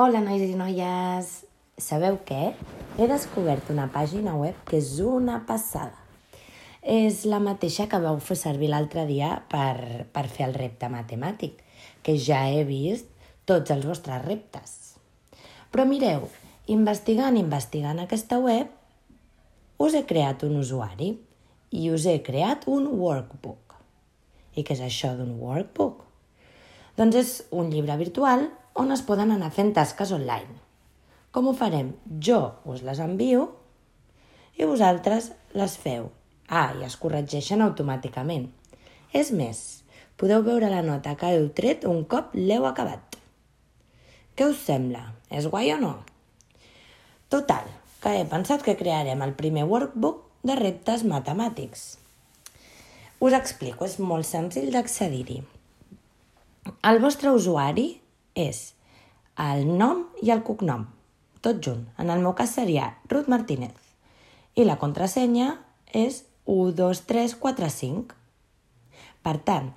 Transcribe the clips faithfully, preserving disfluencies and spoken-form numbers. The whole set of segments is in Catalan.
Hola, nois i noies! Sabeu què? He descobert una pàgina web que és una passada. És la mateixa que vau fer servir l'altre dia per, per fer el repte matemàtic, que ja he vist tots els vostres reptes. Però mireu, investigant, investigant aquesta web, us he creat un usuari i us he creat un workbook. I què és això d'un workbook? Doncs és un llibre virtual on es poden anar fent tasques online. Com ho farem? Jo us les envio i vosaltres les feu. Ah, i es corregeixen automàticament. És més, podeu veure la nota que heu tret un cop l'heu acabat. Què us sembla? És guai o no? Total, que he pensat que crearem el primer workbook de reptes matemàtics. Us explico, és molt senzill d'accedir-hi. El vostre usuari és el nom i el cognom, tot junt. En el meu cas seria Ruth Martínez. I la contrasenya és u dos tres quatre cinc. Per tant,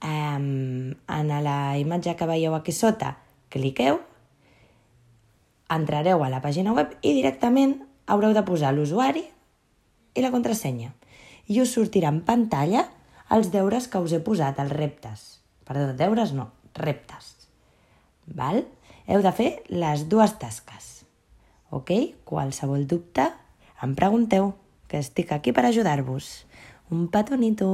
en la imatge que veieu aquí sota, cliqueu, entrareu a la pàgina web i directament haureu de posar l'usuari i la contrasenya. I us sortirà en pantalla els deures que us he posat, els reptes. Perdó, deures no, reptes. Val? Heu de fer les dues tasques. Ok? Qualsevol dubte, em pregunteu, que estic aquí per ajudar-vos. Un petonito!